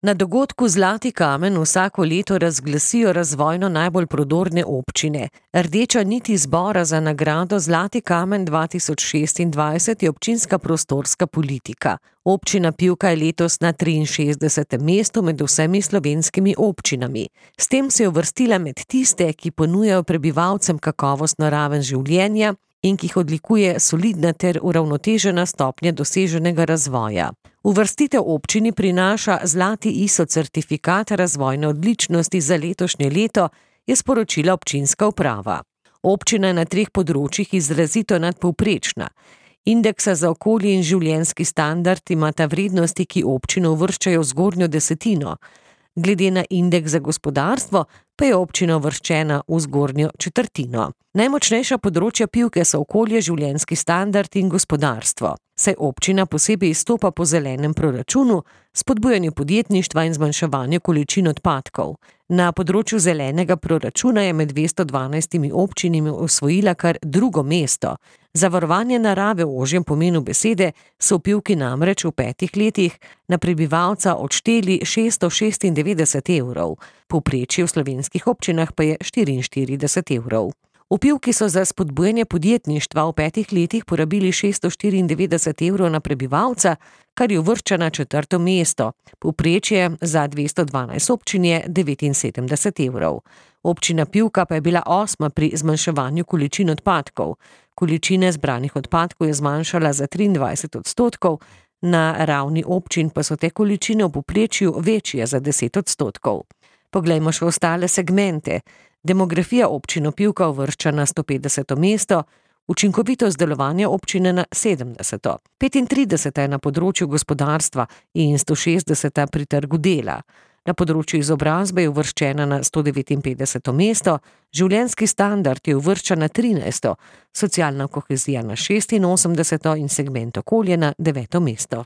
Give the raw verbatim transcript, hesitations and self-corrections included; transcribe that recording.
Na dogodku Zlati kamen vsako leto razglasijo razvojno najbolj prodorne občine. Rdeča nit izbora za nagrado Zlati kamen dva tisoč šestindvajset je občinska prostorska politika. Občina Pivka je letos na triinšestdesetem mestu med vsemi slovenskimi občinami. S tem se je uvrstila med tiste, ki ponujajo prebivalcem kakovostno raven življenja in ki jih odlikuje solidna ter uravnotežena stopnja doseženega razvoja. Uvrstitev občini prinaša zlati I S O certifikat razvojne odličnosti za letošnje leto, je sporočila občinska uprava. Občina je na treh področjih izrazito nadpovprečna. Indeksa za okolje in življenjski standard imata vrednosti, ki občino uvrščajo v zgornjo desetino. Glede na indeks za gospodarstvo pa je občina uvrščena v zgornjo četrtino. Najmočnejša področja Pivke so okolje, življenjski standard in gospodarstvo. Saj občina posebej izstopa po zelenem proračunu, spodbujanju podjetništva in zmanjševanju količin odpadkov. Na področju zelenega proračuna je med dvesto dvanajstimi občinami osvojila kar drugo mesto. Za varovanje narave v ožjem pomenu besede so v Pivki namreč v petih letih na prebivalca odšteli šeststo šestindevetdeset evrov. Povprečje v slovenskih občinah pa je štiriinštirideset evrov. V Pivki so za spodbujanje podjetništva v petih letih porabili šeststo štiriindevetdeset evrov na prebivalca, kar je uvršča na četrto mesto. Povprečje za dvesto dvanajst občin je devetinsedemdeset evrov. Občina Pivka pa je bila osma pri zmanjševanju količin odpadkov. Količine zbranih odpadkov je zmanjšala za triindvajset odstotkov, na ravni občin pa so te količine v povprečju večje za deset odstotkov. Poglejmo še ostale segmente. Demografija občino Pivka uvršča na stopetdeseto mesto, učinkovitost delovanja občine na sedemdeseto. petintrideseta je na področju gospodarstva in stošestdeseta pri trgu dela. Na področju izobrazbe je uvrščena na sto devetinpetdeseto mesto, življenjski standard je uvrščen na trinajsto, socialna kohezija na šestinosemdeseto in segment okolje na deveto mesto.